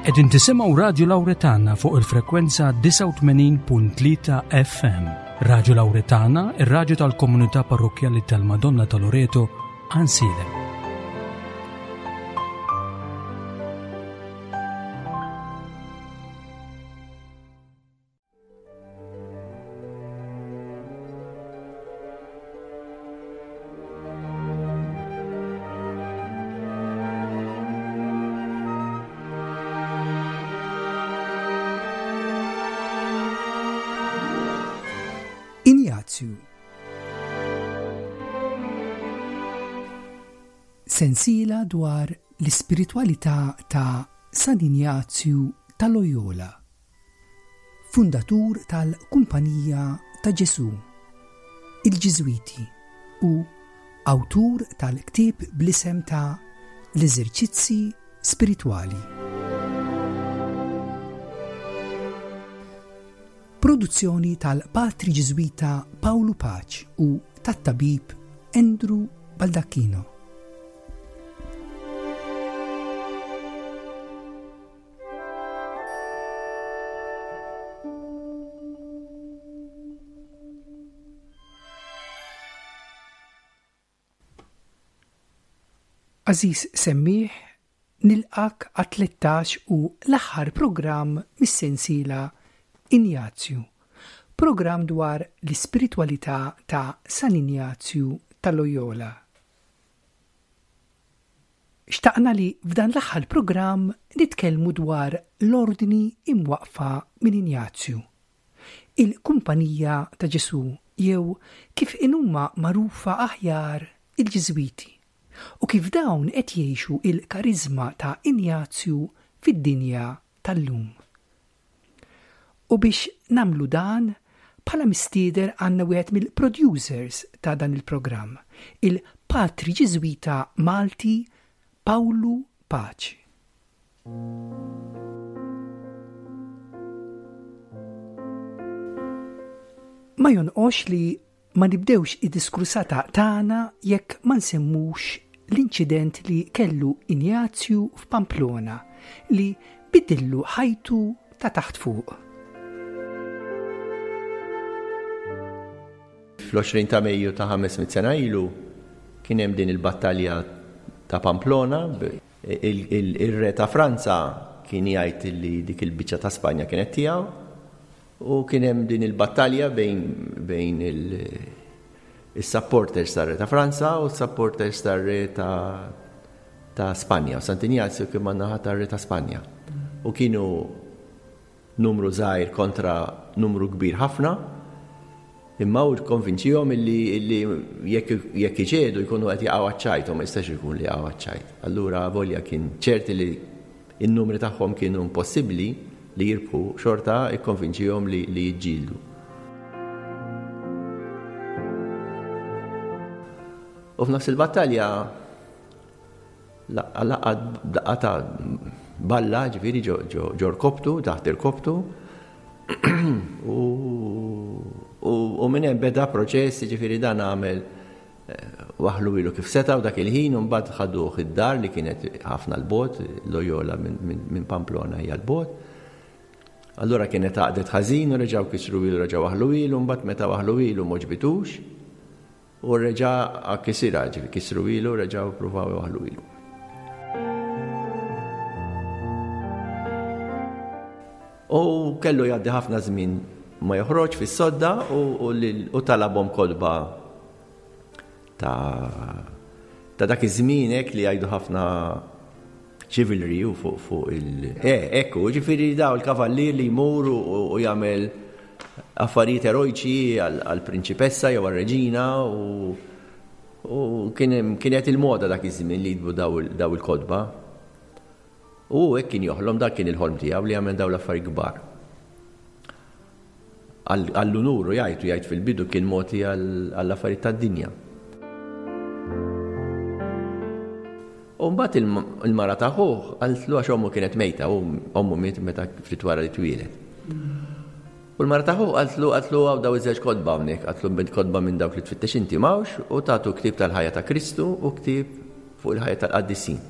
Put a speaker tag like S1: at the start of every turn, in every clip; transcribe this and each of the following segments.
S1: Qegħdin tisimgħu Radju Lawretana fuq il-frekwenza 89.3 FM. Radju Lawretana, ir-radju tal-komunità parrokkjali tal-Madonna ta' Loreto, Ansiedem.
S2: Injazju Sensiela dwar l-ispiritwalità ta' San Injazju ta' Loyola. Fundatur tal-Kumpanija ta' Ġesù, il-Ġiżwiti, u awtur tal-ktieb bl-isem ta' L-Eżerċizzi Spiritwali. Produzzjoni tal-Patri Ġiżwita Pawlu Paċ u tat-Tabib Andrew Baldacchino. Għażiż semmiegħ, nilqgħek għat-13 u l-aħħar programm mis-sensiela Injazju, programm dwar l-ispiritwalità ta' San Injazju ta' Loyola. Xtaqna li f'dan l-aħħar programm nitkellmu dwar l-Ordni imwaqqfa minn Injazju, il-Kumpanija ta' Ġesù jew kif inhuma magħrufa aħjar il-Ġiżwiti, u kif dawn qed jgħixu l-kariżma ta' Injazju fid-dinja tal-lum. U biex nagħmlu dan, bħala mistieder għandna wieħed mill-producers ta' dan il-programm, il-Patri Ġiżwita Malti Pawlu Paċi. Ma jonqosx li Ma nibdewx id-diskursata tagħna jekk ma nsemmux l-inċident li kellu Injazju f'Pamplona li biddillu ħajtu ta' taħt fuq.
S3: Fl-20 ta' Mejju ta' 500 sena ilu kien hemm din il-battalja ta' Pamplona. Il-re ta' Franza kien jgħid li dik il-biċċa ta' Spanja kienet tiegħu U kien hemm din il-battalja bejn bejn is-supporters tar-Re ta' Franza u s-supporters tar-Re ta' ta' Spanja. U Sant'Injazju kien man-naħa tar-Re ta' Spanja. U kienu numru żgħir kontra numru kbir ħafna, imma hu kkonvinċihom illi illi jekk jekk iċedu jkunu qed jaqgħu għaċ-ċajt u ma jistax ikun li jaqgħu għaċ-ċajt. Allura avolja kien ċert li In-numri tagħhom kienu impossibbli li jirbħu, xorta ikkonvinċihom li li jiġġieldu. U f'nofs il-battalja laqgħat daqqa ta' balla, ġifieri ġo rkobtu, taħt irkobtu, u minn hemm beda proċess, ġifieri dan għamel Waħħlu ilu kif setgħu dak il-ħin u mbagħad ħaduh id-dar li kienet ħafna 'l bogħod, Loyola minn Pamplona hija 'l bogħod. Allura kienet għaqdet ħażin u reġgħu kisru ilu reġgħu waħħlu ilu, mbagħad meta waħħlu ilu m'għoġbitux u reġa' kisirha, ġifieri kisru ilu reġgħu ppruvaw iwaħħlu ilu. U kellu jgħaddi ħafna żmien ma joħroġ fis-sodda u talabhom kotba ta' ta' dak iż-żmien hekk li jgħidu ħafna chivalry u fuq fuq il Eh, ekku, ġifieri daw il-kavallier li jmur u jagħmel affarijiet erojċi għall-prinċipessa jew għar-reġina u u kien kienet il-moda dak iż-żmien li jitbu daw il-kotba. U hu hekk kien joħlom, dak kien il-ħolm tiegħu li jagħmel dawn l-affarijiet kbar. Għall-unur u jgħid u jgħid fil-bidu kien mogħti għall-affarijiet tad-dinja. U mbagħad il-mara ta' ħuh qaltlu għax ommu kienet mejta u ommu miet meta ftit wara li twieled. U l-mara ta' ħuh qaltlu qaltlu hawn daw iż-żewġ kotba hawnhekk, qaltlu kotba minn dawk li tfittex inti m'hawnx u tagħtu ktieb tal-ħajja ta' Kristu u ktieb fuq il-ħajja tal-qaddisin.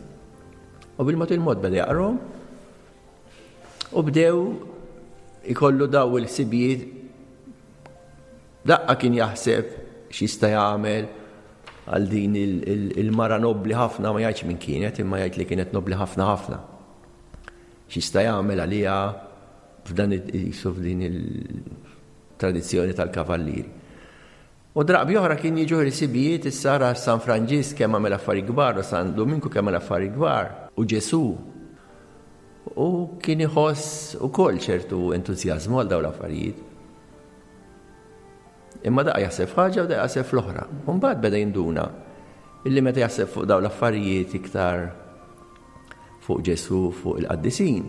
S3: U bil-mod il-mod beda jaqrahom. U bdew ikollu daw il-ħsibijiet daqqa kien jaħseb x'jista' jagħmel għal din il-mara nobbli ħafna ma jgħidx min kienet imma jgħid li kienet nobbli ħafna ħafna. X'jista' jagħmel għaliha f'dan f'din il-tradizzjoni tal-kavallieri. U drabi oħra kien jiġuh il-ħsibijiet issa ara San Franġisk kemm għamel affarijiet kbar u San Duminku kemm għamel affarijiet kbar u Ġesù. U kien iħoss ukoll ċertu entużjażmu għal dawn l-affarijiet. Imma daqqa jaħseb f'ħaġa u daqqa jaħseb fl-oħra. U mbagħad beda jinduna illi meta jaħseb fuq dawn l-affarijiet iktar fuq Ġesù, fuq il-qaddisin,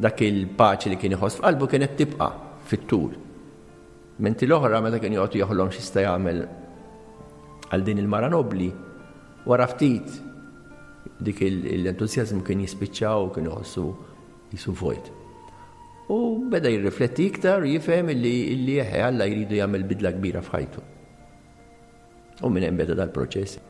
S3: dak il-paċi li kien iħoss f'qalbu kienet tibqa' fit-tul. Menti l-oħra meta kien joqgħod joħlom x'jista' jagħmel għal din il-mara nobbli, wara ftit dik l-entużjażmu kien jispiċċa u kien iħossu jisu vojt. U beda jirrifletti iktar u jifhem illi illi eħe Alla jridu jagħmel bidla kbira f'ħajtu. U minn hemm beda dal-proċess.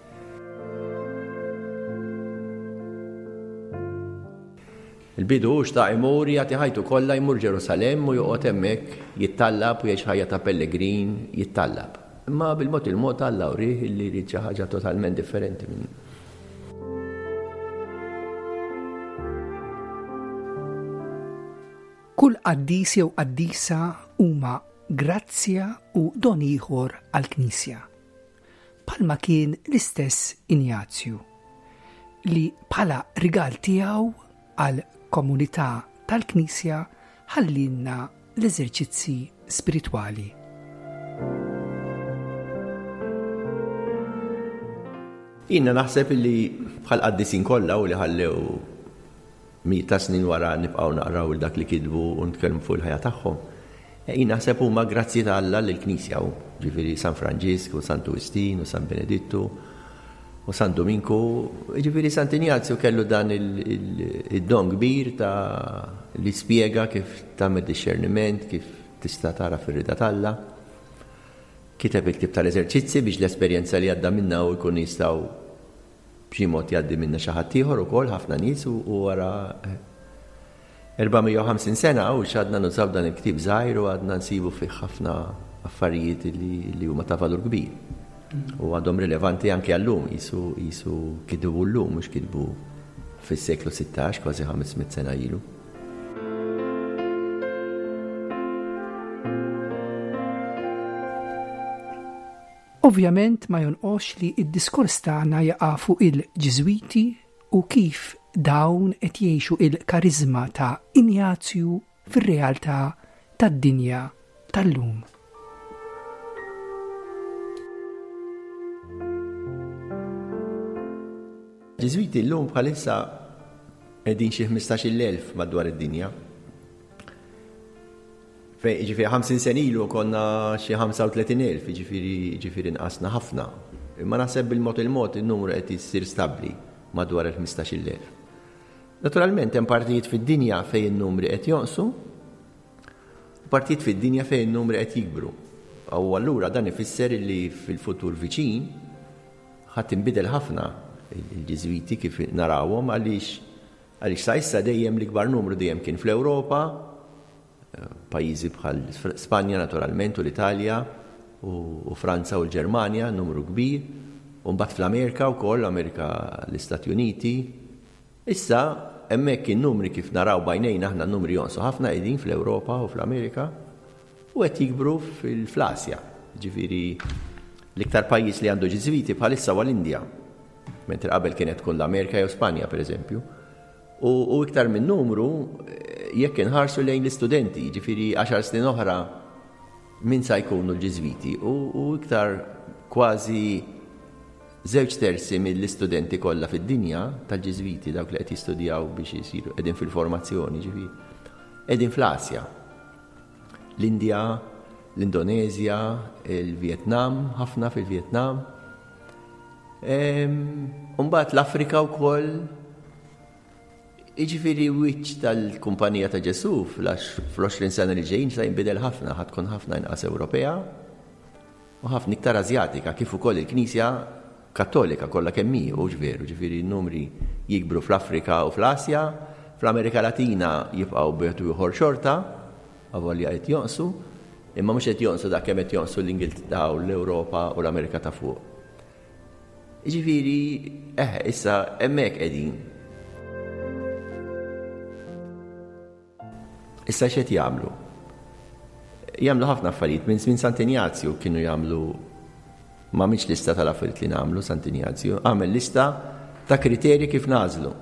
S3: Il-bidu hu xtaq imur jagħti ħajtu kollha jmur Ġerusalemm u joqgħod hemmhekk jittallab u jgħix ħajja ta' pellegrin jittallab. Imma bil-mod il-mod Alla wrieh illi jrid xi ħaġa totalment differenti minn
S2: Kull qaddis jew qaddisa huma grazzja u don ieħor għall-Knisja. Bħalma kien l-istess Injazju, li bħala rigal tiegħu għall-komunità tal-Knisja ħallielna l-eżerċizzi spiritwali.
S3: Jiena naħseb li bħal qaddisin kollha u li ħallew Mijiet ta' snin wara nibqgħu naqraw dak li kitbu u nitkellmu fuq il-ħajja tagħhom. Jien naħseb huma grazzji ta' Alla lill-Knisja hu, ġifieri San Franġisk u Santu Wistin u San Benedittu u San Duminku, ġifieri Sant'Injazju kellu dan id-don kbir ta' li spjega kif tagħmel dixxerniment, kif tista' tagħraf ir-rieda t'Alla. Kiteb il-ktieb tal-eżerċizzi biex l-esperjenza li għadda minnha hu jkunu jistgħu B'xi mod jgħaddi minnha xi ħadd ieħor ukoll, ħafna nies u wara 450 sena u x'għadna nużaw dan il-ktieb żgħir u għadna nsibu fih ħafna affarijiet li huma ta' valur kbir. U għadhom rilevanti anke għallum, jisu jisu kitbu llum mhux kitbu fis-seklu 16, kważi 500 sena ilu.
S2: Ovvjament ma jonqosx li d-diskors tagħna jaqa' fuq il-Ġiżwiti u kif dawn qed jgħixu il-kariżma ta' Injazju fir-realtà tad-dinja tal-lum.
S3: Ġiżwiti llum bħalissa qegħdin xi 15,000 madwar id-dinja. Fejn, jiġifieri 50 sena ilu konna xi 35,000, jiġifieri jiġifieri nqasna ħafna. Imma naħseb bil-mod il-mod in-numru qed issir stabbli madwar il-15,000. Naturalment hemm partijiet fid-dinja fejn in-numri qed jonqsu u partijiet fid-dinja fejn in-numri qed jikbru. U allura dan ifisser li fil-futur viċin ħa tinbidel ħafna il-Ġiżwiti kif narawhom għaliex għaliex sa issa dejjem l-ikbar numru dejjem kien fl-Ewropa, Pajjiżi bħal Spanja naturalment u l-Italja u Franza u l-Ġermanja, numru kbir, u mbagħad fl-Amerika wkoll, Amerika l-Istati Uniti. Issa hemmhekk in-numri kif naraw b'għajnejna aħna n-numri jonqsu ħafna qegħdin fl-Ewropa u fl-Amerika u qed jikbru fl-Asja. Ġifieri l-iktar pajjiż li għandu Ġiżwiti bħalissa huwa l-Indja, mentri qabel kienet tkun l-Amerika jew Spanja pereżempju. U iktar minn numru, jekk inħarsu lejn l-istudenti, jiġifieri għaxar snin oħra min sa jkunu l-Ġiżwiti u iktar kważi żewġ terzi mill-istudenti kollha fid-dinja tal-Ġiżwiti dawk li qed jistudjaw biex isiru qegħdin fil-formazzjoni, ġifieri qegħdin fl-Asja. L-Indja, l-Indoneżja, il-Vjetnam, ħafna fil-Vjetnam. Umbagħad l-Afrika wkoll Jiġifieri wiċċ tal-Kumpanija ta' Ġesù fl-20 sena li ġejjin se jinbidel ħafna, ħa tkun ħafna inqas Ewropea u ħafna iktar Asjatika, kif ukoll il-Knisja Kattolika kollha kemm hi, hux veru, ġifieri n-numri jikbru fl-Afrika u fl-Asja. Fl-Amerika Latina jibqgħu b'wieħed u ieħor xorta, avolja qed jonqsu, imma mhux qed jonqsu daqs kemm qed jonqsu l-Ingilterra u l-Ewropa u l-Amerika ta' fuq. Jiġifieri, eħe, issa hemmhekk qegħdin. Issa x'qed jagħmlu? Jagħmlu ħafna affarijiet. Minn żmien Sant'Injazju kienu jagħmlu ma għamilx lista tal-affarijiet li nagħmlu Sant'Injazju, għamel lista ta' kriterji kif nagħżlu.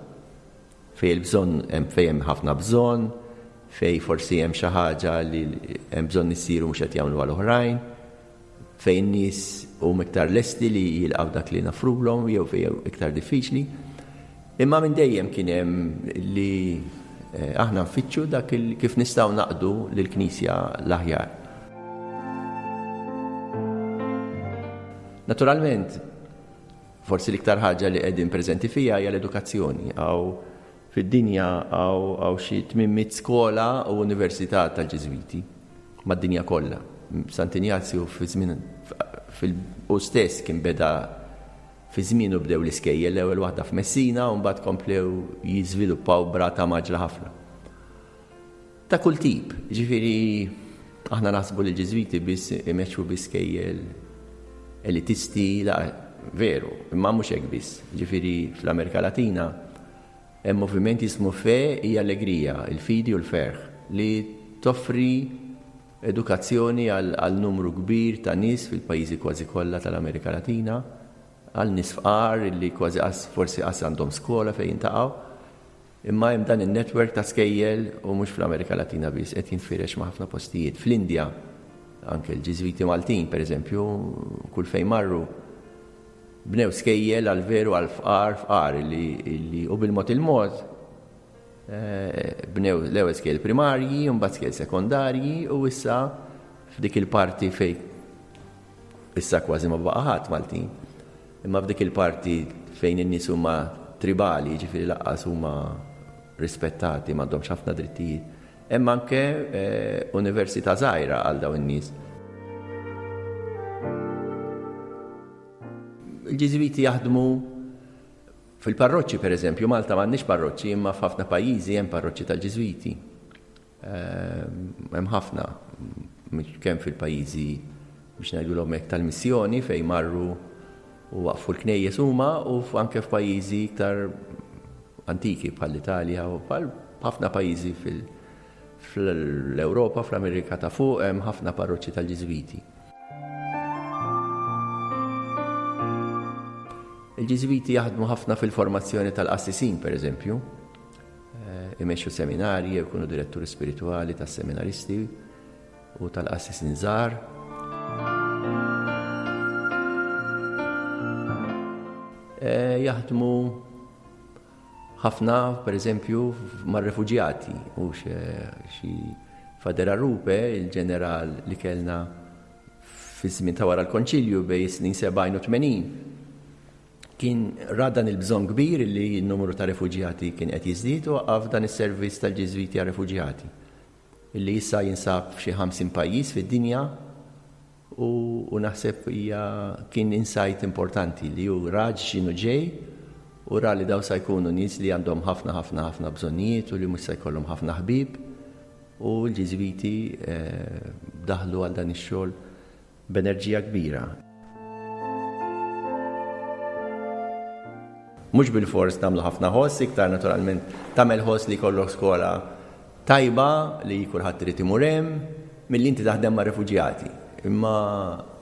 S3: Fejn il-bżonn hemm fejn hemm ħafna bżonn, fejn forsi hemm xi ħaġa li hemm bżonn issir u mhux qed jagħmluha l-oħrajn. fejn nies huma iktar lesti li jilqgħu dak li nafrulhom jew fejn iktar diffiċli. Imma minn dejjem kien hemm li eh, aħna nfittxu dak kif nistgħu naqdu lill-Knisja l-aħjar. Naturalment, forsi l-iktar ħaġa li qegħdin preżenti fija hija l-edukazzjoni. Għaw Fid-dinja hawn xi 800 skola u università tal-Ġiżwiti, mad-dinja kollha. Sant'Injazju fi żmien hu stess kien beda fi żmienu bdew l-iskejjel, l-ewwel waħda f'Messina u mbagħad komplew jiżviluppaw b'rata mgħaġġla ħafna. Ta' kull tip, jiġifieri aħna naħsbu li l-Ġiżwiti biss imexxu bi skejjel elitisti, la, veru, imma mhux hekk biss. Jiġifieri fl-Amerika Latina hemm moviment jismu Fe y Alegría, il-fidi u l-ferħ, li toffri edukazzjoni għal numru kbir ta' nies fil-pajjiżi kważi kollha tal-Amerika Latina, għal nies fqar li kważi forsi qas għandhom skola fejn jintaqgħu. Imma hemm dan in-network ta' skejjel u mhux fl-Amerika Latina biss, qed jinfirex ma' ħafna postijiet. Fl-Indja, anke l-Ġiżwiti Maltin, pereżempju, kull fejn marru, bnew skejjel għal veru għal fqar fqar li u bil-mod il-mod eh, bnew l-ewwel skejjel primarji, mbagħad skejjel sekondarji u issa f'dik il-parti fejn Issa kważi ma baqa' ħadd Maltin. Imma f'dik il-parti fejn in-nies huma tribali, jiġifieri lanqas huma rispettati, m'għandhomx ħafna drittijiet, hemm anke università żgħira għal dawn in-nies. Il-Ġiżwiti jaħdmu fil-parroċċi, pereżempju, Malta m'għandniex parroċċi, imma f'ħafna pajjiżi hemm parroċċi tal-Ġiżwiti. Hemm ħafna kemm fil-pajjiżi biex ngħidulhom hekk tal-missjoni fejn marru u waqfu l-knejjes huma u anke f'pajjiżi iktar antiki bħall-Italja u bħal ħafna pajjiżi fl-Ewropa, fl-Amerika ta' fuq hemm ħafna parroċċi tal-Ġiżwiti. Il-Ġiżwiti jaħdmu ħafna fil-formazzjoni tal-qassisin, pereżempju. Imexxu seminarji jew ikunu diretturi spiritwali tas-seminaristi u tal-qassisin żgħar. Jaħdmu ħafna, per eżempju, mar-refuġjati u xi Fader Arrupe, il-ġeneral li kellna fi żmien ta' wara l-Konċilju bejn is-snin 70 u 80. Kien ra dan il-bżonn kbir li n-numru ta' refuġjati kien qed jiżdied u waqqaf dan is-servizz tal-Ġiżwiti għar-Refuġjati, li issa jinsab f'xi 50 pajjiż fid-dinja u, u naħseb hija kien insight importanti li hu ra x'inhu ġej u ra li dawn sa jkunu nies li għandhom ħafna ħafna ħafna bżonnijiet u li mhux se jkollhom ħafna ħbieb u l-Ġiżwiti daħlu għal dan ix-xogħol b'enerġija kbira. Mhux bilfors nagħmlu ħafna ħoss, iktar naturalment tagħmel ħoss li jkollok skola tajba li kulħadd irid imur hemm, milli inti taħdem ma' refuġjati. Imma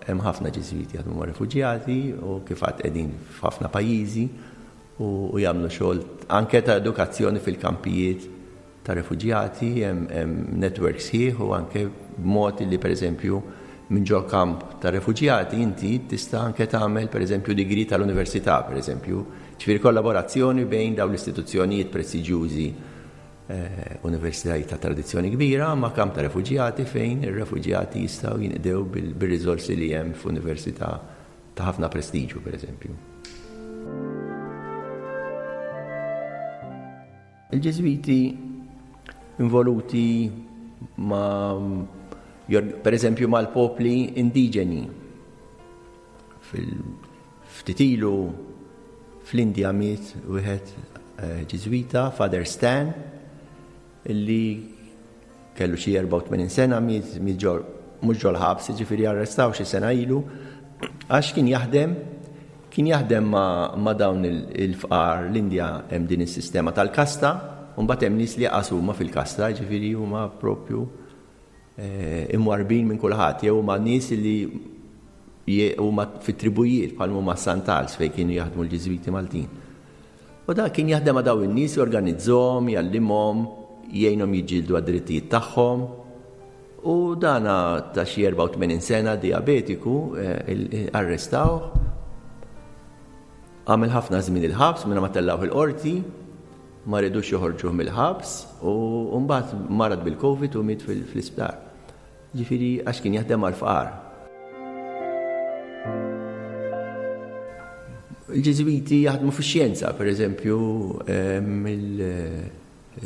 S3: hemm ħafna Ġiżwiti jaħdmu ma' refuġjati u kif għad qegħdin f'ħafna pajjiżi u jagħmlu xogħol anke ta' edukazzjoni fil-kampijiet ta' refuġjati, hemm network sħiħ u anke b'mod li pereżempju minn ġo kamp ta' refuġjati inti tista' anke tagħmel pereżempju degree tal-università pereżempju, ġifieri kollaborazzjoni bejn dawn l-istituzzjonijiet prestiġjużi eh, universitajiet ta' tradizzjoni kbira ma' kamp ta' refuġjati fejn ir-refuġjati jistgħu jinqdew bil-riżorsi li hemm f'università ta' ħafna prestiġju pereżempju. Il-Ġiżwiti involuti ma' per eżempju mal-popli indiġeni. Ftit ilu fl-Indja miet wieħed eh, Ġiżwita, Father Stan. Illi kellu xi 84 sena miet mhux ġol-ħabs, jiġifieri arrestaw xi sena ilu għax kien jaħdem kien jaħdem ma' dawn il-fqar l-Indja hemm din is-sistema tal-kasta, u mbagħad hemm nies li jaqas huma fil-kasta, jiġifieri huma propju eh, imwarbin minn kulħadd, jew huma nies li huma fit-tribujiet bħal huma Santals fejn kienu jaħdmu l-Ġiżwiti Maltin. U dak kien jaħdem ma' dawn in-nies, jorganizzhom, jgħallimhom, jgħinhom jiġġieldu għad-drittijiet tagħhom. U dana ta' xi 84 sena dijabetiku eh, arrestawh. Għamel ħafna żmien il-ħabs minn ma tellgħuh il-qorti, ma ridux joħorġuh mill-ħabs u mbagħad marad bil-Covid u miet fl-isptar. Jiġifieri għax kien jaħdem għall-fqar. Il-Ġiżwiti jaħdmu fix-xjenza, pereżempju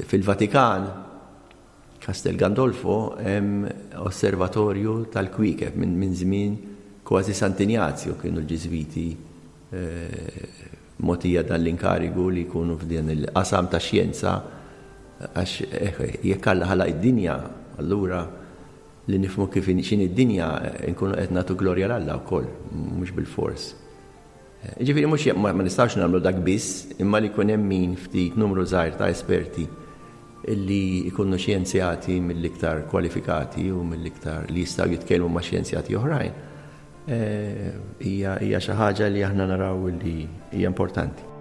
S3: fil-Vatikan, Castel Gandolfo, hemm osservatorju tal-kwiekeb minn żmien kważi Sant'Injazju kienu l-Ġiżwiti eh, mogħtija dan l-inkarigu li jkunu f'din il-qasam ta' xjenza għax eh, jekk Alla ħalaq id-dinja, allura li nifhmu kif x'inhi d-dinja nkunu qed nagħtu glorja 'l Alla wkoll, mhux bilfors. Eh, ġifieri mhux ma nistgħux nagħmlu dak biss, imma li jkun hemm min ftit numru żgħir ta' esperti illi jkunu xjenzjati mill-iktar kwalifikati u mill-iktar li jistgħu jitkellmu ma' xjenzjati oħrajn. Hija xi ħaġa li aħna naraw li hija importanti.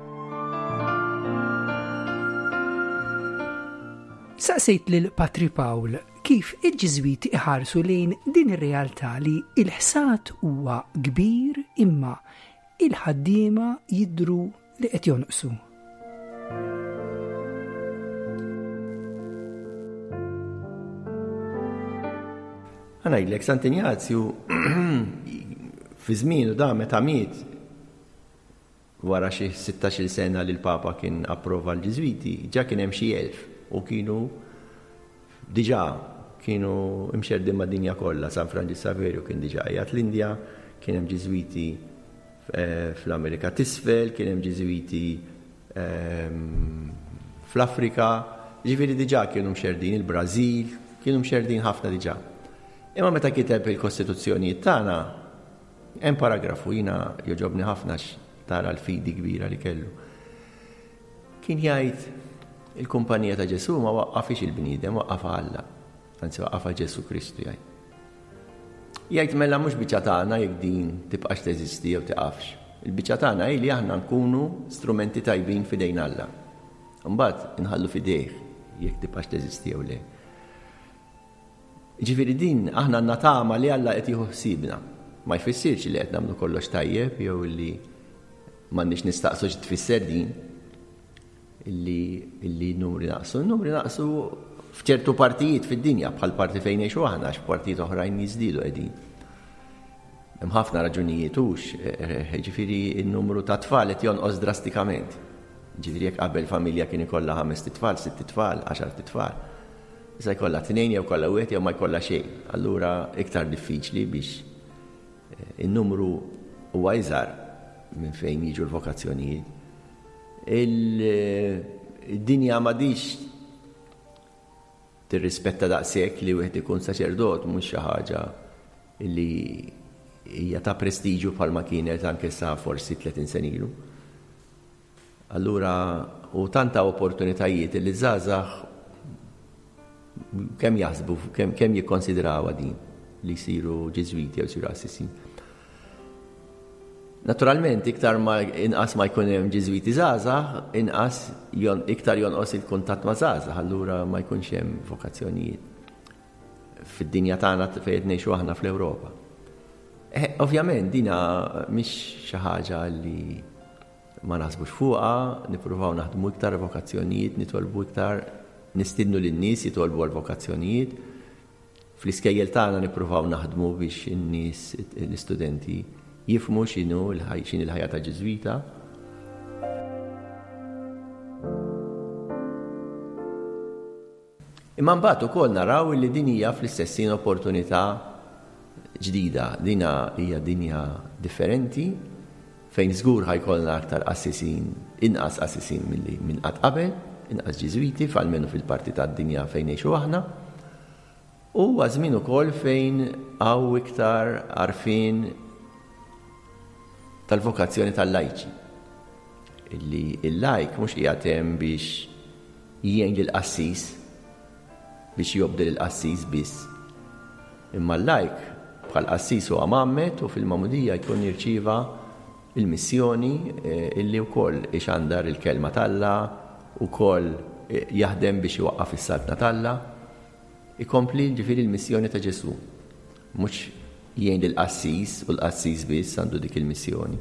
S2: Saqsejt lil Patri Pawl kif il-Ġiżwiti iħarsu lejn din ir-realtà li l-ħsad huwa kbir imma il-ħaddiema jidhru li qed jonqsu.
S3: Ħa ngħidlek, Sant'Injazju fi żmienu da meta miet wara xi 16-il sena li l-Papa kien approva l-Ġiżwiti, ġa kien hemm xi 1000 u kienu diġà kienu imxerrdin mad-dinja kollha. San Franġis Saverju kien diġà qiegħed l-Indja, kien hemm Ġiżwiti eh, fl-Amerika t'Isfel, kien hemm Ġiżwiti ehm, fl-Afrika, ġifieri diġà kienu mxerrdin il-Brażil, kienu mxerrdin ħafna diġà. Imma meta kiteb il-Kostituzzjonijiet tagħna, hemm paragrafu jiena jogħġobni ħafna tara l-fidi kbira li kellu. Kien jgħid il-kumpanija ta' Ġesù ma waqqafix il-bniedem, waqqafha Alla. Anzi waqqafha Ġesù Kristu jgħid. Jgħid mela mhux biċċa tagħna jekk din tibqax teżisti jew tiqafx. Il-biċċa tagħna hi li aħna nkunu strumenti tajbin f'idejn Alla. Imbagħad inħallu f'idejh jekk tibqax teżisti jew le. Ġifieri din aħna għandna tama li Alla qed jieħu ħsiebna. Ma jfissirx li qed nagħmlu kollox tajjeb jew li m'għandniex nistaqsu xi tfisser din illi illi n-numri naqsu. N-numri naqsu f'ċertu partijiet fid-dinja bħal parti fejn ngħixu aħna għax f'partijiet oħrajn jiżdiedu qegħdin. Hemm ħafna raġunijiet hux, eh, ġifieri n-numru ta' tfal qed jonqos drastikament. Ġifieri jekk qabel familja kien ikollha ħames titfal, sitt tfal, għaxar titfal. Issa jkollha tnejn jew kollha wieħed jew ma jkollha xejn. Allura iktar diffiċli biex eh, in-numru huwa iżgħar minn fejn jiġu l-vokazzjonijiet. Il-dinja m'għadix tirrispetta daqshekk li wieħed ikun saċerdot mhux xi ħaġa li hija ta' prestiġu bħalma kienet anke sa forsi 30 senilu. Allura u tant hawn opportunitajiet li żgħażagħ kemm jaħsbu, kemm kemm jikkonsidrawha din li jsiru Ġiżwiti jew jsiru qassisin. Naturalment, iktar ma inqas ma jkun hemm Ġiżwiti żgħażagħ, inqas jon, iktar jonqos il-kuntatt ma' żgħażagħ, allura ma jkunx hemm vokazzjonijiet fid-dinja tagħna fejn qed ngħixu aħna fl-Ewropa. Eh, ovvjament dina mhix xi ħaġa li Ma naħsbux fuqha, nippruvaw naħdmu iktar vokazzjonijiet, nitolbu iktar, nistiednu lin-nies jitolbu għal vokazzjonijiet. Fl-iskejjel tagħna nippruvaw naħdmu biex in-nies, l-istudenti jifhmu x'inhu x'inhi l-ħajja ta' Ġiżwita. Imma mbagħad ukoll naraw li din hija fl-istess ħin opportunità ġdida. Dina hija dinja differenti fejn żgur ħa jkollna aktar qassisin, inqas qassisin milli minn qatt qabel. inqas Ġiżwiti, almenu fil-parti tad-dinja fejn ngħixu aħna. U huwa żmien ukoll fejn hawn iktar għarfien tal-vokazzjoni tal-lajċi. Illi il-lajk mhux qiegħed hemm biex jgħin lill-qassis, biex jobdi lill-qassis biss. Imma l-lajk bħal qassis huwa mgħammed u fil-magħmudija jkun jirċieva il-missjoni illi wkoll ixandar il-kelma t'Alla, ukoll jaħdem biex iwaqqaf is-saltna t'Alla. Ikompli ġifieri l-missjoni ta' Ġesù. Mhux jgħin lill-qassis u l-qassis biss għandu dik il-missjoni.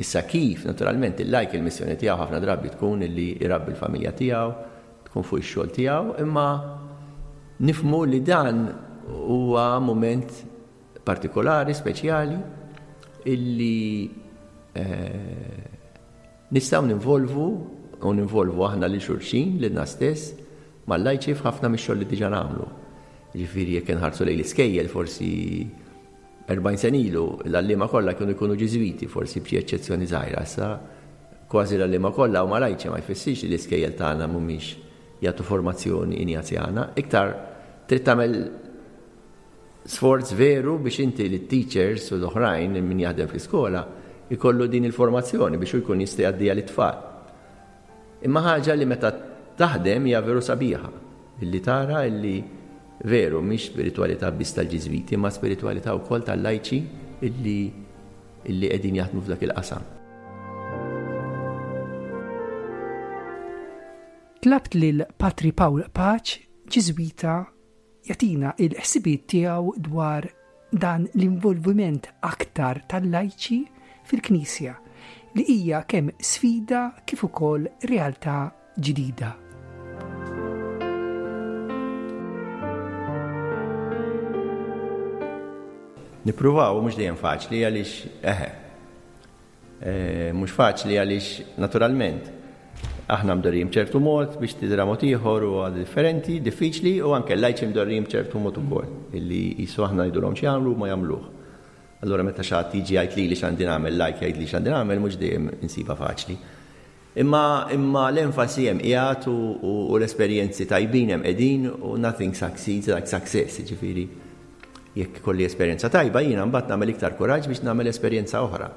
S3: Issa kif, naturalment, il-lajk il-missjoni tiegħu ħafna drabi tkun illi jrabbi l-familja tiegħu, tkun fuq ix-xogħol tiegħu, imma nifhmu li dan huwa mument partikolari, speċjali, illi eh, nistgħu ninvolvu u ninvolvu aħna lil xulxin, lilna stess, mal-lajċi f'ħafna mix-xogħol li diġà nagħmlu. Ġifieri jekk inħarsu lejn l-iskejjel forsi 40 sena ilu l-għalliema kollha kienu jkunu Ġiżwiti, forsi b'xi eċċezzjoni żgħira. Issa kważi l-għalliema kollha huma lajċi ma jfissirx li l-iskejjel tagħna mhumiex jagħtu formazzjoni injazjana. Iktar trid tagħmel sforz veru biex inti lit-teachers u l-oħrajn min jaħdem fl-iskola jkollu din il-formazzjoni biex hu jkun jista' jgħaddiha lit-tfal. Imma ħaġa li meta taħdem hija veru sabiħa, illi tara illi veru mhix spiritwalità biss tal-Ġiżwiti imma spiritwalità wkoll tal-lajċi illi illi qegħdin jaħdmu f'dak il-qasam.
S2: Tlabt lil Patri Pawl Paċ, Ġiżwita, jagħtina l-ħsibijiet tiegħu dwar dan l-involviment aktar tal-lajċi fil-Knisja li hija kemm sfida kif ukoll realtà ġdida.
S3: Nippruvaw mhux dejjem faċli għaliex eħe Mhux faċli għaliex naturalment aħna mdorrijin b'ċertu mod biex tidra mod ieħor u differenti, diffiċli u anke l-lajċi mdorrijin b'ċertu mod ukoll illi qisu aħna ngħidulhom x'jagħmlu u ma jagħmluh. Allura meta xi ħadd jiġi jgħid lili x'għandi nagħmel, lajk jgħidli x'għandi nagħmel mhux dejjem insibha faċli. Imma imma l-enfasi hemm qiegħed u l-esperjenzi tajbin hemm qegħdin u nothing succeeds like success, jiġifieri Jekk ikolli esperjenza tajba jiena mbagħad nagħmel iktar kuraġġ biex nagħmel esperjenza oħra.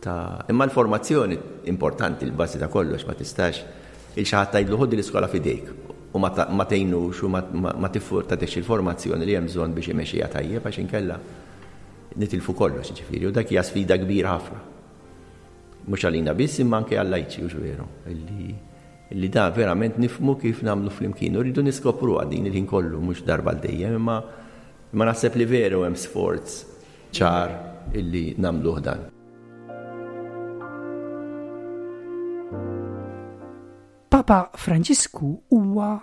S3: Ta' imma l-formazzjoni importanti l-bażi ta' kollox ma tistax il xi ħadd tgħidlu ħudi l-iskola f'idejk u ma tgħinux u ma tagħtix il-formazzjoni li hemm bżonn biex imexxiha tajjeb għax inkella nitilfu kollox ġifieri u dak hija sfida kbira ħafna. Mhux għalina biss imma anke għal-lajċi hux veru illi Li da verament nifhmu kif nagħmlu flimkien u rridu niskopruha din il-ħin kollu mhux darba għal dejjem imma imma naħseb li veru hemm sforz ċar illi nagħmluh dan.
S2: Papa Franġisku huwa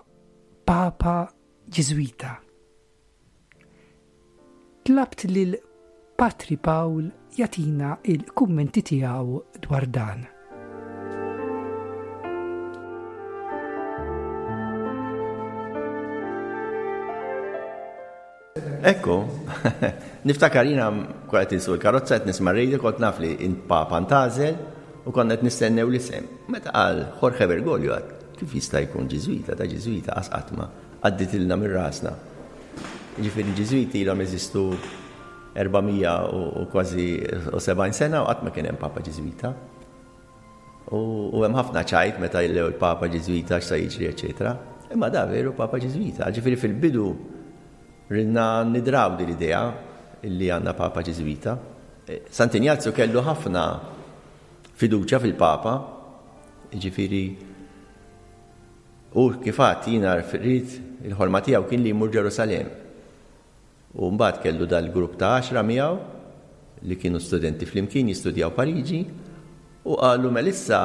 S2: Papa Ġiżwita. Tlabt lil Patri Pawl jagħtina il-kummenti tiegħu dwar dan.
S3: Ekku, niftakar jiena kont qed insuq il-karozza qed nisma' r-radio kont naf li int Papa ntgħażel u konna qed nistennew l-isem. Meta qal Jorge Bergoglio għad kif jista' jkun Ġiżwita ta' Ġiżwita qas qatt ma għadditilna minn rasna. Jiġifieri l-Ġiżwiti ilhom jeżistu 400 u kważi 70 sena u qatt ma kien hemm Papa Ġiżwita. U hemm ħafna ċajt meta jillew il-Papa Ġiżwita x'sa jiġri, eċetera. Imma da veru Papa Ġiżwita. Ġifieri fil-bidu ridna nidraw din l-idea illi għandna Papa Ġiżwita. Sant'Injazju kellu ħafna fiduċja fil-Papa, ġifieri Hu kif għedt jiena rrid, il-ħolma tiegħu kien li jmur Ġerusalemm. U mbagħad kellu dal-grupp ta' għaxra miegħu li kienu studenti flimkien jistudjaw Pariġi u qalu mela issa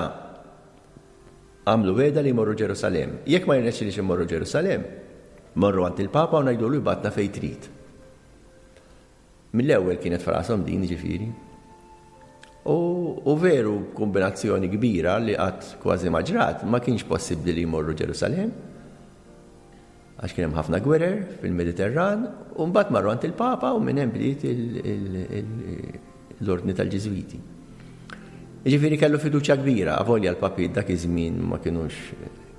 S3: għamlu wegħda li jmorru Ġerusalemm. Jekk ma jirnexxilix immorru Ġerusalemm, morru għand il-Papa u ngħidulu jibgħatna fejn trid. Mill-ewwel kienet f'rashom din jiġifieri. U, u veru b'kumbinazzjoni kbira li qatt kważi ma ġrat, ma kienx possibbli li jmorru Ġerusalemm għax kien hemm ħafna gwerer fil-Mediterran, u mbagħad marru għand il-Papa u minn hemm bdiet l-ordni tal-Ġiżwiti. Jiġifieri kellu fiduċja kbira, avolja l-papiet dak iż-żmien ma kinux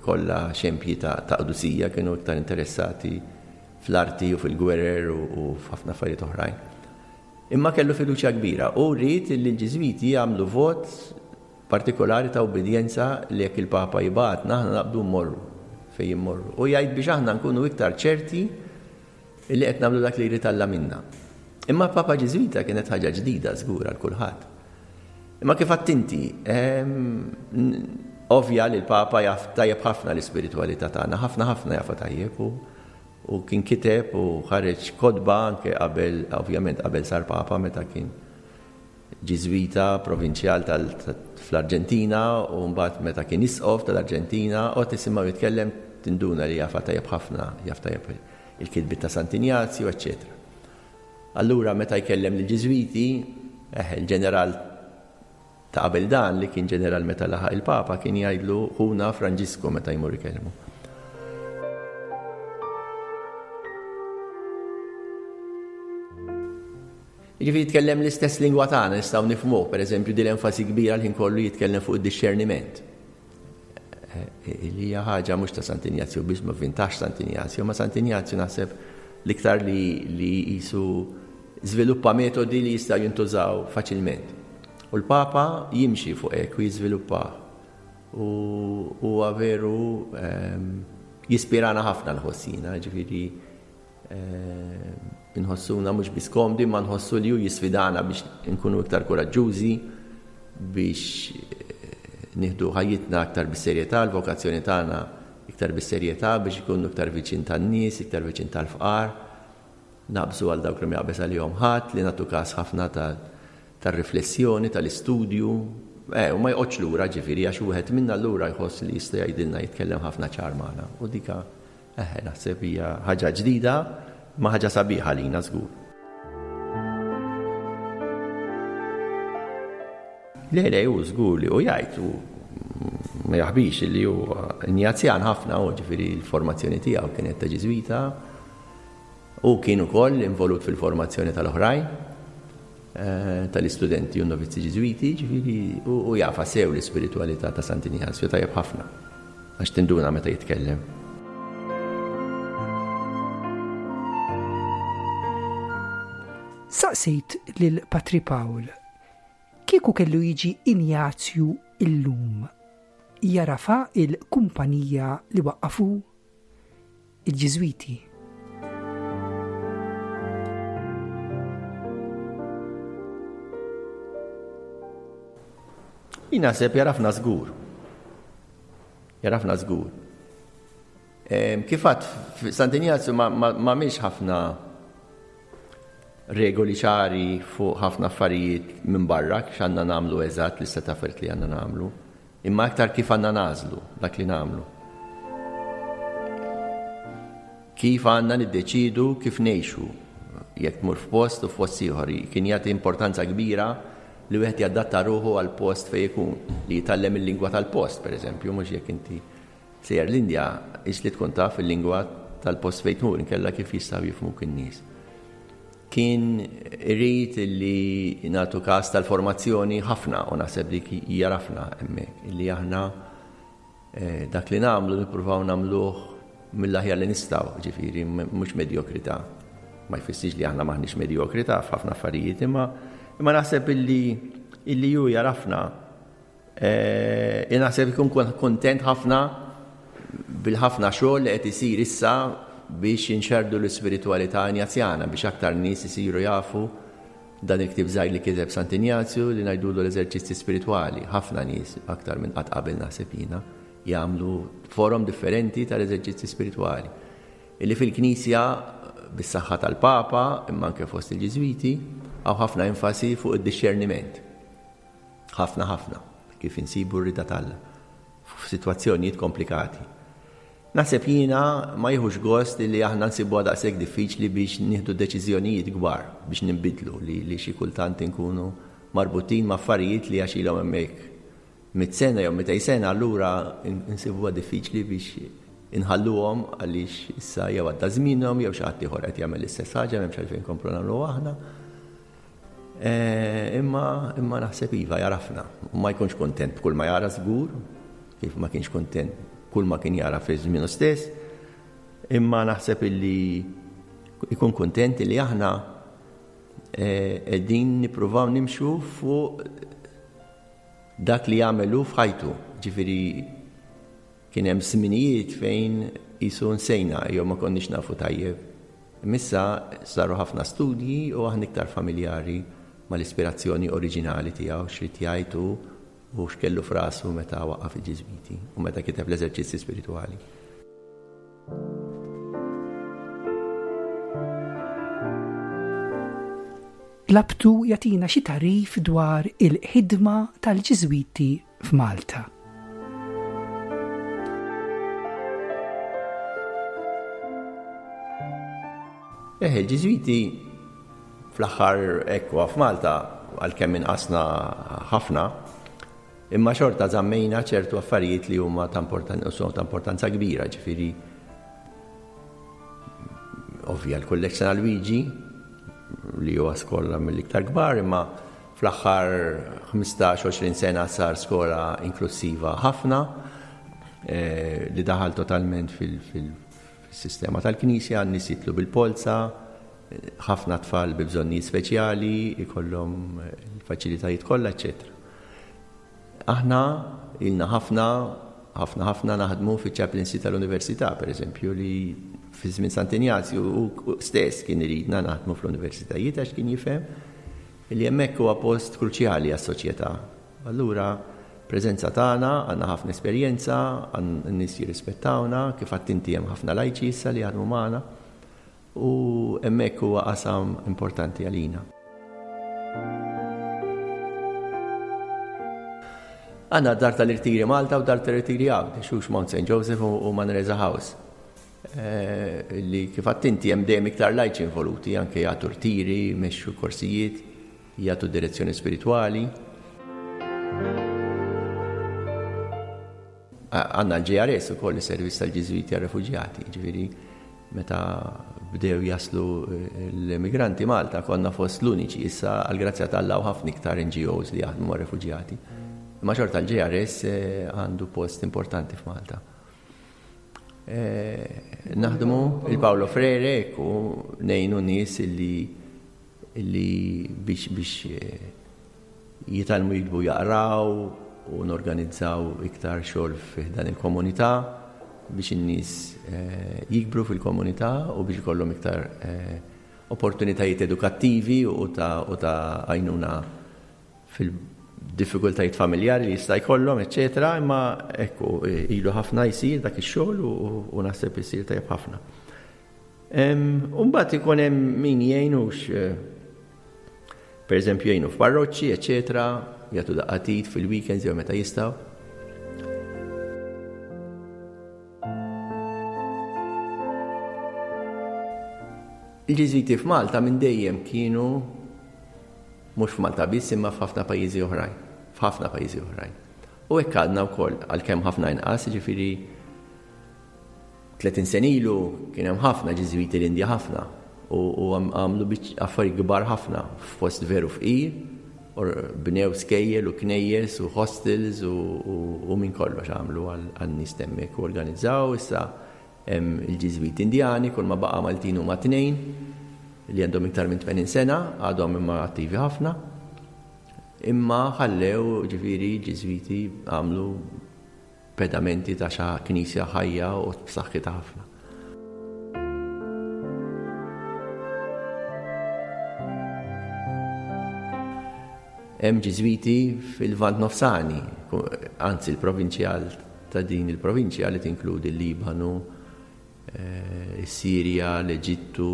S3: kollha xempji ta' qdusija, kienu iktar interessati fl-arti u fil-gwerer u f'ħafna affarijiet oħrajn. Imma kellu fiduċja kbira u ried li l-Ġiżwiti jagħmlu vot partikolari ta' ubbidjenza li jekk il-Papa jibgħatna aħna naqbdu mmorru fejn immorru. U jgħid biex aħna nkunu iktar ċerti Illi qed nagħmlu dak li jrid Alla minna. Imma Papa Ġiżwita kienet ħaġa ġdida żgur għal kulħadd. Imma kif għedt inti, ovvja li l-Papa jaf tajjeb ħafna l-ispiritwalità tagħna, ħafna ħafna jafha tajjeb u u kien kiteb u ħareġ kotba anke qabel, ovvjament qabel sar Papa meta kien Ġiżwita, provinċjal tal fl-Arġentina u mbagħad meta kien isqof tal-Arġentina, u tisimgħu jitkellem tinduna li jafha tajjeb ħafna, jaf tajjeb il-kitbiet ta' Sant'Injazju, eċċetera. Allura meta jkellem lill-Ġiżwiti, eh, il-ġeneral ta' qabel dan li kien ġeneral meta laħaq il-Papa kien jgħidlu ħuna Franġisku meta jmur ikellmu. Jiġifieri jitkellem l-istess lingwa tagħna nistgħu nifhmuh, pereżempju din l-enfasi kbira l-ħin kollu jitkellem fuq id-dixxerniment. Eh, li hija ħaġa mhux ta' Sant'Injazju biss ma vintax Sant'Injazju, ma Sant'Injazju naħseb l-iktar li li jisu żviluppa metodi li jistgħu jintużaw faċilment. U l-Papa jimxi fuq hekk u jiżviluppa. U huwa veru ehm, jispirana ħafna l-ħossina, ġifieri Inħossuna mhux biss komdi, ma nħossu li hu jisfidana biex inkunu iktar kuraġġużi, biex eh, nieħdu ħajjitna aktar bis-serjetà, l-vokazzjoni tagħna iktar bis-serjetà biex ikunu iktar viċin tan-nies, iktar viċin tal-fqar, naqbżu għal dawk li ma jaqbeż għalihom ħadd, li nagħtu każ ħafna tar-riflessjoni, tal-istudju. Eh, u ma joqgħodx lura ġifieri għax wieħed minna lura jħoss li jista' jgħidilna jitkellem ħafna ċar magħna. U dika Eħe, naħseb hija ħaġa ġdida, ma ħaġa sabiħa għalina żgur. Le, le, hu żgur li hu jgħid u ma jaħbix li hu Injazjan ħafna u ġifieri l-formazzjoni tiegħu kienet ta' Ġiżwita. U kien ukoll involut fil-formazzjoni tal-oħrajn eh, tal-istudenti u novizzi Ġiżwiti, ġifieri u jafa sew l-ispiritwalità ta' Sant'Injazju tajjeb ħafna. Għax tinduna meta jitkellem.
S2: Saqsejt lil Patri Pawl kieku kellu jiġi Injazju illum jarafa il-kumpanija li waqqafu il-Ġiżwiti.
S3: Jien naħseb jarafna żgur. Jarafna żgur. Kif għad Sant'Injazju ma miex ħafna regoli ċari fuq ħafna affarijiet minn barra x'għandna nagħmlu eżatt li seta' affarijiet li għandna nagħmlu. Imma aktar kif għandna nagħżlu dak li nagħmlu. Kif għandna niddeċiedu kif ngħixu jekk tmur f'post u f'post ieħor. Kien jagħti importanza kbira li wieħed jadatta ruħu għal post fejn ikun, li jitgħallem il-lingwa tal-post, pereżempju, mhux jekk inti sejjer l-Indja, is li tkun taf il-lingwa tal-post fejn tmur, inkella kif jistgħu jifhmuk in-nies. Kien irid li nagħtu każ tal-formazzjoni ħafna u naħseb dik jarafna hemmhekk, illi aħna eh, dak li nagħmlu nippruvaw nagħmluh mill-aħjar li nistgħu, ġifieri mhux medjokrità. Ma jfissirx li aħna maħniex medjokrità f'ħafna affarijiet, imma imma naħseb illi illi ju jarafna Eh, naħseb ikun kontent ħafna bil-ħafna xogħol li qed isir issa biex inxerdu l-ispiritwalità Injazjana biex aktar nies isiru jafu dan il-ktieb żgħir li kiteb Sant'Injazju li ngħidulu l-eżerċizzi spiritwali. Ħafna nies aktar minn qatt qabel naħseb jiena jagħmlu forom differenti tal-eżerċizzi spiritwali. Illi fil-Knisja bis-saħħa tal-Papa imma anke fost il-Ġiżwiti hawn ħafna enfasi fuq id-dixxerniment. Ħafna ħafna kif insibu r-rieda t'Alla f'sitwazzjonijiet komplikati. Naħseb jiena ma jieħux gost li aħna nsibuha daqshekk diffiċli biex nieħdu deċiżjonijiet kbar biex ninbidlu li, li xi kultant inkunu marbutin ma' affarijiet li għax ilhom hemmhekk mit sena jew mitej sena allura nsibuha diffiċli biex inħalluhom għaliex issa jew għadda żmienhom jew xi ħadd ieħor qed jagħmel l-istess ħaġa m'hemmx għalfejn nkomplu nagħmluha aħna. Eh, imma imma naħseb iva jarafna. U ma jkunx kontent b'kull ma jara żgur, kif ma kienx kontent kull ma kien jara fi żmienu stess, imma naħseb illi ikun kontent illi aħna eh, qegħdin nippruvaw nimxu fuq dak li jagħmel hu f'ħajtu. Ġifieri kien hemm żminijiet fejn qisu nsejna jew ma konniex nafu tajjeb. Imma issa saru ħafna studji u aħna iktar familjari mal-ispirazzjoni oriġinali tiegħu, x'ried jgħid hu u x'kellu f'rasu meta waqqaf il-Ġiżwiti u meta kiteb l-Eżerċizzi Spiritwali.
S2: Tlabtu jagħtina xi tagħrif dwar il-ħidma tal-Ġiżwiti f'Malta.
S3: Eh, il-Ġiżwiti fl-aħħar ekwa f'Malta għalkemm inqasna ħafna, imma xorta żammejna ċertu affarijiet li huma ta' importanza kbira, ġifieri ovvja l-Kulleġġ San Alwiġi li huwa skola mill-iktar kbar, imma fl-aħħar 15-20 sena sar skola inklusiva ħafna eh, li daħal totalment fil-sistema tal-Knisja, n-nies jitlu bil-polza, ħafna tfal bi bżonnijiet speċjali, ikollhom il-faċilitajiet kollha, eċċetera. Aħna ilna ħafna, ħafna ħafna naħdmu fiċ-chaplaincy tal-università, per eżempju, li fi żmien Sant'Injazju hu stess kien iridna naħdmu fl-universitajiet għax kien jifhem li hemmhekk huwa post kruċjali għas-soċjetà. Allura preżenza tagħna, għandna ħafna esperjenza, n-nies jirrispettawna, kif għedt inti hemm ħafna lajċi issa li jaħdmu magħna. U hemmhekk huwa qasam importanti għalina. Għandna Dar tal-Irtiri Malta u Dar tal-Irtiri Għawdex, hux Mount St. Joseph u Manresa House. Eh, li kif inti hemm dejjem iktar lajċi involuti, anke jagħtu rtiri, jmexxu korsijiet, jagħtu direzzjoni spiritwali. Għandna l-JRS ukoll is-servizz tal-Ġiżwiti għar-refuġjati, ġifieri meta bdew jaslu eh, l-immigranti Malta konna fost l-uniċi issa għall-grazzja t'Alla u ħafna iktar NGOs li jaħdmu mar-refuġjati. Imma xorta l-JRS eh, għandu post importanti f'Malta. Eh, naħdmu il-Paolo Freire ekku nejnu nies illi illi biex biex jitgħallmu jiktbu jaqraw u norganizzaw iktar xogħol fi dan il-komunità biex in-nies eh, jikbru fil-komunità u biex ikollhom iktar eh, opportunitajiet edukattivi u ta' u ta' għajnuna fil-diffikultajiet familjari li jista' jkollhom, eċċetera, imma ekku ilu ħafna jsir dak ix-xogħol u naħseb isir tajjeb ħafna. U mbagħad ikun hemm min jgħinux eh, per eżempju jgħinu f'parroċċi, eċetera, jagħtu daqqatit fil-weekends jew meta jistgħu. Il-Ġiżwiti f'Malta minn dejjem kienu mhux f'Malta biss imma f'ħafna pajjiżi oħrajn, f'ħafna pajjiżi oħrajn. U hekk għadna wkoll għalkemm ħafna inqas, jiġifieri 30 sena ilu kien hemm ħafna Ġiżwiti l-Indja ħafna u għamlu affarijiet kbar ħafna f'post veru fqir, bnew skejjel u knejjes u hostels u minn kollox għamlu għan-nies t'hemmhekk u organizzaw issa hemm il-Ġiżwiti Indjani kull ma baqa' Maltin huma tnejn li għandhom iktar minn 80 sena għadhom imma attivi ħafna. Imma ħallew ġifieri Ġiżwiti għamlu pedamenti ta' xa knisja ħajja u b'saħħitha ħafna. Hemm Ġiżwiti fil-Lvant Nofsani, anzi l-provinċjal ta' din il-provinċja li tinkludi l-Libanu, eh, is-Sirja, l-Eġittu,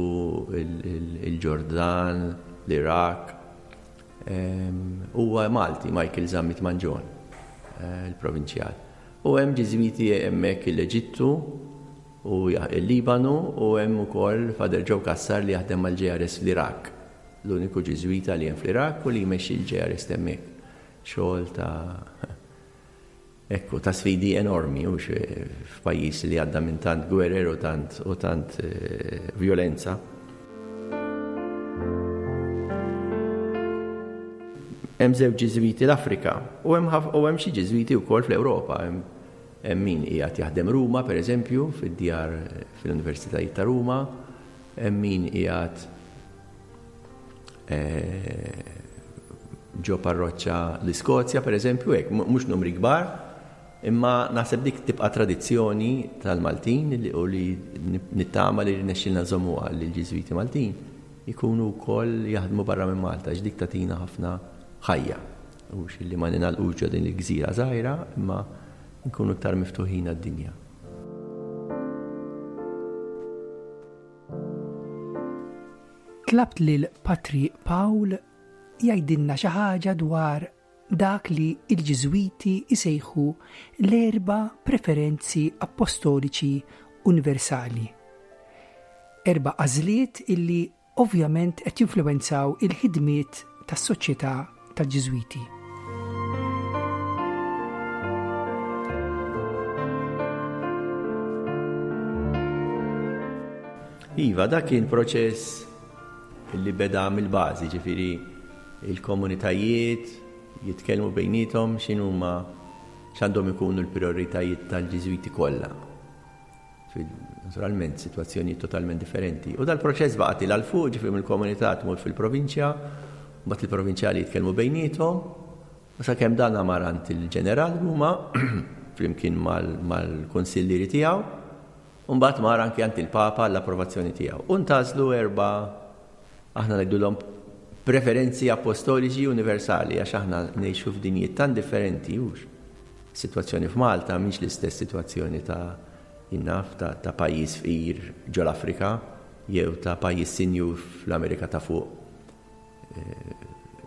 S3: il-Ġordan, l-Iraq, Huwa Malti, Michael Zammit Mangion, il-provinċjal. U hemm Ġiżwiti hemmhekk l-Eġittu u l-Libanu u hemm ukoll Father Joe Cassar li jaħdem mal-JRS fl-Iraq. L-uniku Ġiżwita li hemm fl-Iraq u li jmexxi l-JRS t'hemmhekk. Xogħol ta' Ekku, ta' sfidi enormi, hux f'pajjiż li għadda minn tant gwerer u tant u tant eh, violenza. Hemm żewġ Ġiżwiti l-Afrika u hemm u hemm xi Ġiżwiti wkoll fl-Ewropa. Hemm min qiegħed jaħdem Ruma, pereżempju, fid-djar fil-Universitajiet ta' Ruma, hemm min qiegħed eh, ġo parroċċa l-Iskozja, pereżempju, hekk, mhux numri kbar, imma naħseb dik tibqa' tradizzjoni tal-Maltin u li nittama li rnexxilna nżommuha li l-Ġiżwiti Maltin ikunu wkoll jaħdmu barra minn Malta għax dik tagħtina ħafna ħajja. Hux illi ma ningħalqux ġo din il-gżira żgħira imma nkunu iktar miftuħin għad-dinja.
S2: Tlabt lil Patri Pawl jgħidilna xi ħaġa dwar dak li l-Ġiżwiti jsejħu l-erba' preferenzi appostoliċi universali. Erba' għażliet illi ovvjament qed jinfluwenzaw il-ħidmiet tas-Soċjetà tal-Ġiżwiti.
S3: Iva, dak kien proċess li beda mill-bażi, ġifieri il-komunitajiet jitkellmu bejniethom x'inhuma x'għandhom ikunu l-prijoritajiet tal-Ġiżwiti kollha. Naturalment, sitwazzjonijiet totalment differenti. U dal-proċess baqa' til għal fuq, ġifieri mill-komunità tmur fil-provinċja, mbagħad il-provinċjali jitkellmu bejniethom, u sakemm dan mar għand il-ġeneral Ruma flimkien mal-kunsillieri tiegħu, u mbagħad mar anki għand il-Papa għall-approvazzjoni tiegħu. U ntgħażlu erba' aħna ngħidulhom preferenzi appostoliċi universali għax aħna ngħixu f'dinjiet tant differenti hux. Sitwazzjoni f'Malta mhix l-istess sitwazzjoni ta' innaf ta', ta pajjiż fqir ġol-Afrika jew ta' pajjiż sinjur fl-Amerika ta' fuq.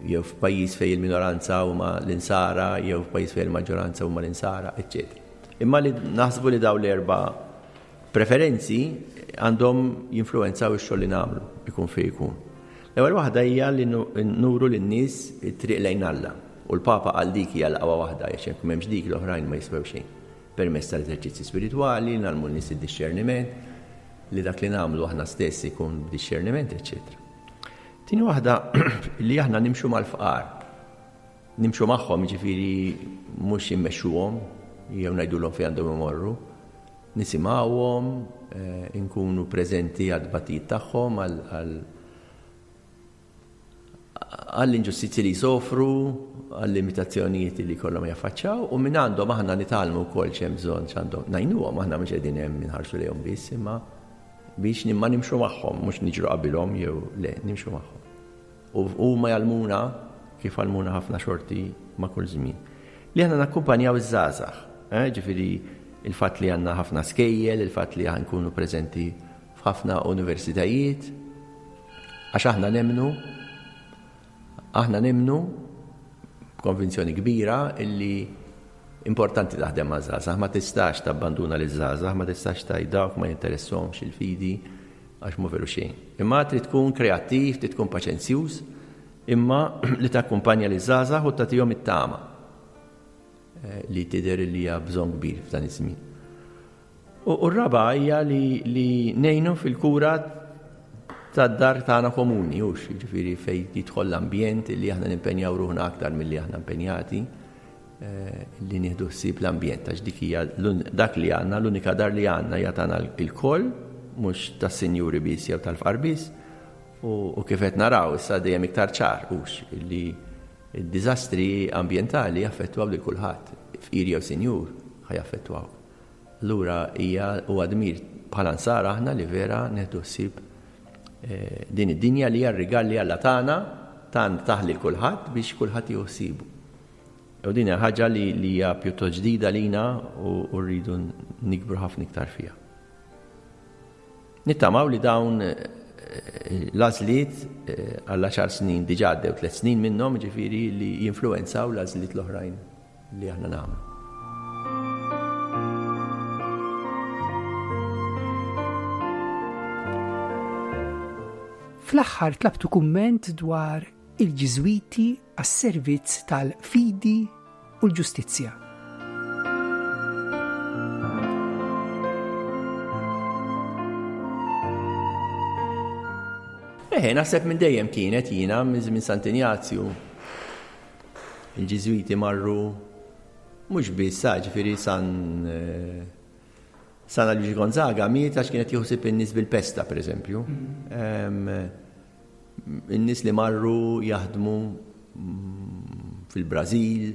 S3: Jew f'pajjiż fejn il-minoranza huma l-insara jew f'pajjiż fejn il-maġġoranza huma l-insara, eċċetera. Imma li naħsbu li dawn l-erba' preferenzi għandhom jinfluwenzaw ix-xogħol li nagħmlu, ikun fejn ikun. L-ewwel waħda hija li nuru lin-nies it-triq lejn Alla. U l-Papa qal dik hija l-aqwa waħda għax jekk m'hemmx dik l-oħrajn ma jiswew xejn. Permezz tal-eżerċizzi spiritwali, nagħmlu n-nies id-dixxerniment, li dak li nagħmlu aħna stess ikun b'dixxerniment, eċċetera. Tieni waħda li aħna nimxu mal-fqar. Nimxu magħhom, jiġifieri mhux immexxuhom jew ngħidulhom fejn għandhom imorru. Nisimgħuhom, eh, inkunu preżenti għad-tbatijiet tagħhom, għall-inġustizzji li jsofru, għall-limitazzjonijiet li jkollhom jaffaċċjaw u minn għandhom aħna nitgħallmu wkoll x'hemm bżonn x'għandhom ngħinuhom aħna mhux qegħdin hemm inħarsu lejhom biss imma biex nimma nimxu magħhom mhux niġru qabilhom jew le nimxu magħhom. U huma jgħallmuna kif għallmuna ħafna xorti ma' kull żmien. Li aħna nakkumpanjaw iż-żgħażagħ, eh, ġifieri il-fatt li għandna ħafna skejjel, il-fatt li nkunu preżenti f'ħafna universitajiet, għax aħna nemmnu aħna nemmnu b'konvinzjoni kbira illi importanti taħdem ma' żgħażagħ, ma tistax tabbanduna liż żgħażagħ, ma tistax tgħid dawk ma jinteressahomx il-fidi għax mhu veru xejn. Imma trid tkun kreattiv, trid tkun paċenzjuż, imma li takkumpanja liż żgħażagħ u tagħtihom it-tama eh, li tidher li hija bżonn kbir f'dan iż-żmien. U r-raba' hija li, li ngħinu fil-kura tad-dar tagħna komuni, hux, jiġifieri fejn jidħol l-ambjent li aħna nimpenjaw ruħna aktar milli aħna impenjati eh, li nieħdu ħsieb l-ambjent għax dik hija dak li għandna, l-unika dar li għandna hija tagħna il-koll, mhux tas-sinjuri biss jew tal-fqar biss, u kif qed naraw issa dejjem iktar ċar hux li d-diżastri ambjentali jaffettwaw lil kulħadd, fqir jew sinjur ħa jaffettwaw. Allura hija huwa dmir bħala nsara aħna li vera nieħdu ħsieb eh, din id-dinja li hija r-rigal li Alla tagħna tan tah lil kulħadd biex kulħadd jieħu ħsiebu. U din hija ħaġa li hija pjuttost ġdida lina u rridu nikbru ħafna iktar fiha. Nittamaw li dawn eh, l-għażliet eh, għal għaxar snin diġà għaddew tliet snin minnhom ġifieri li jinfluwenzaw l-għażliet l-oħrajn li aħna nagħmlu.
S2: Fl-aħħar tlabtu kumment dwar il-Ġiżwiti għas-servizz tal-fidi u l-ġustizzja.
S3: Eħe, naħseb minn dejjem kienet jiena minn żmien Sant'Injazju. Il-Ġiżwiti marru mhux biss, ġifieri San eh, San Alwiġi Gonzaga miet għax kien qed jieħu ħsieb in-nies bil-pesta, pereżempju. In-nies li marru jaħdmu mm, fil-Brażil,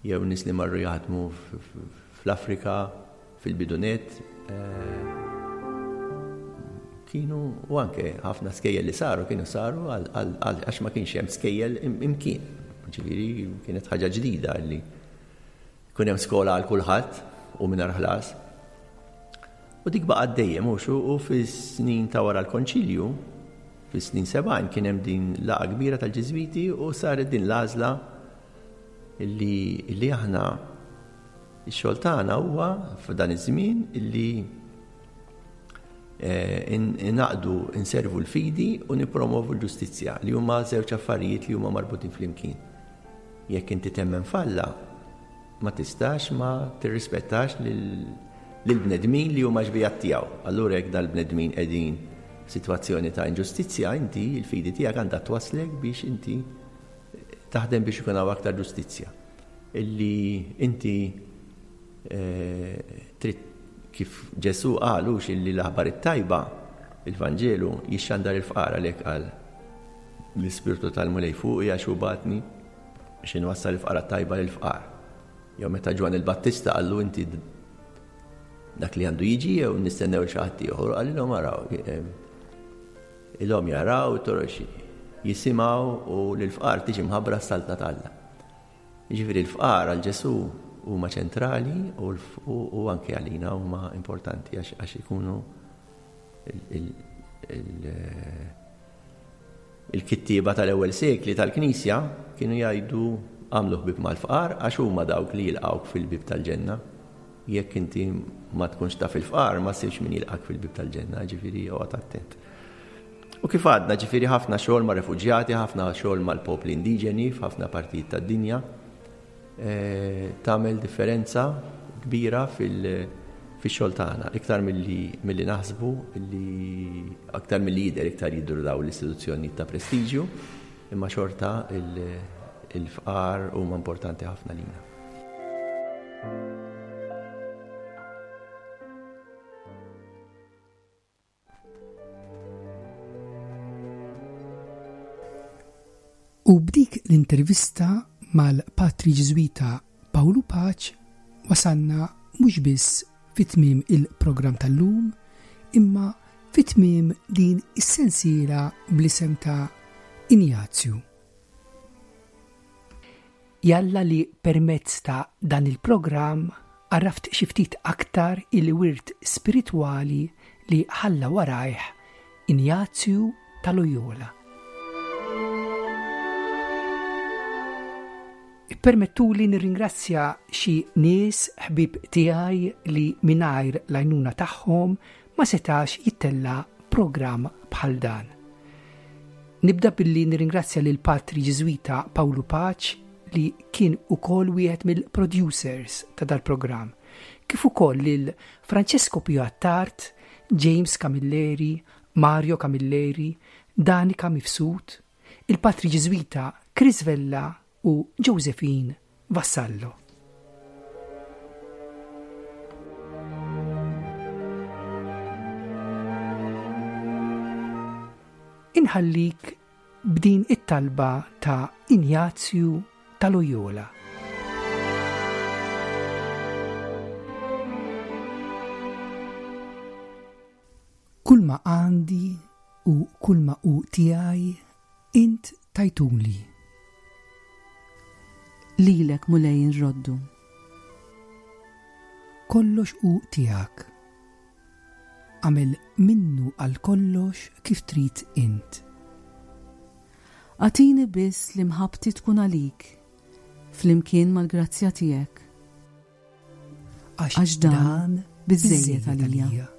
S3: jew nies li marru jaħdmu fl-Afrika, fil-bidunet, eh, kienu u anke ħafna skejjel li saru kienu saru għax ma kienx hemm skejjel imkien. Ġifieri kienet ħaġa ġdida li Ikun hemm skola għal kulħadd u mingħajr ħlas. U dik baqgħet dejjem hux u fis-snin ta' wara l-Konċilju, fis-snin 70 kien hemm din laqgħa kbira tal-Ġiżwiti u saret din l-għażla li, li aħna ix-xogħol tagħna huwa f'dan iż-żmien illi eh, inaqdu inservu l-fidi u nippromovu l-ġustizzja li huma żewġ affarijiet li huma marbutin flimkien. Jekk inti temmen f'Alla, ma tistax ma tirrispettax lill-bnedmin li huma xbiehat tiegħu. Allura jekk dal-bnedmin qegħdin f'sitwazzjoni ta' inġustizzja, inti l-fidi tiegħek għandha twasslek biex inti taħdem biex ikun hawn aktar ġustizzja. Illi inti eh, trid kif Ġesù qal hux illi l-aħbar it-tajba, il-Vanġelu, jixxandar il-fqar għalhekk qal L-Ispirtu tal-Mulej fuqi għax hu bagħatni biex inwassal il-fqara tajba lill-fqar. Jew meta Ġwanni l-Battista qallu inti dak li għandu jiġi jew nistennew xi ħadd ieħor, qalilhom araw. Ilhom jaraw, torox jisimgħu u lill-fqar tiġi mħabbra s-saltna t'Alla. Jiġifieri l-fqar għal Ġesù huma ċentrali u anke għalina huma importanti għax ikunu Il-kittieba tal-ewwel sekli tal-Knisja kienu jgħidu agħmlu ħbieb mal-fqar għax huma dawk li jilqgħuk fil-bieb tal-ġenna. Jekk inti ma tkunx taf il-fqar ma ssibx min jilqgħek fil-bieb tal-ġenna, ġifieri oqgħod attent. U kif għadna, ġifieri ħafna xogħol ma' refuġjati, ħafna xogħol mal-popli indiġeni f'ħafna partijiet tad-dinja. Eh, tagħmel differenza kbira fil-xogħol tagħna, iktar milli naħsbu li aktar milli jidher iktar jidhru daw l-istituzzjonijiet ta' prestiġju, imma xorta il-fqar huma importanti ħafna lina.
S2: U b'dik l-intervista mal-Patri Ġiżwita Pawlu Paċ wasalna mhux biss fi tmiem il-programm tal-lum, imma fi tmiem din is-sensiela bl-isem ta' Injazju. Jalla li permezz ta' dan il-programm għarraft xi ftit aktar il-wirt spiritwali li ħalla warajh Injazju ta' Loyola. Ippermettuli nirringrazzja xi nies ħbieb tiegħi li mingħajr l-għajnuna tagħhom ma setax jittella' programm bħal dan. Nibda billi nirringrazzja lil Patri Ġiżwita Pawlu Paċ li kien ukoll wieħed mill-producers ta' dal-programm, kif ukoll lil Francesco Pio Attard, James Camilleri, Mario Camilleri, Danica Mifsud, il-Patri Ġiżwita Chris Vella u Josephine Vassallo. Inħallik b'din it-talba ta' Injazju ta' Loyola. Kulma għandi u kulma hu tiegħi Int tajtuli.
S4: Lilek, Mulej, inroddu.
S2: Kollox hu tiegħek. Agħmel minnu għal kollox kif trid int.
S4: Agħtini biss li mħabbti tkun għalik, flimkien mal-grazzja tiegħek.
S2: Għax dan biżżejjed għalija.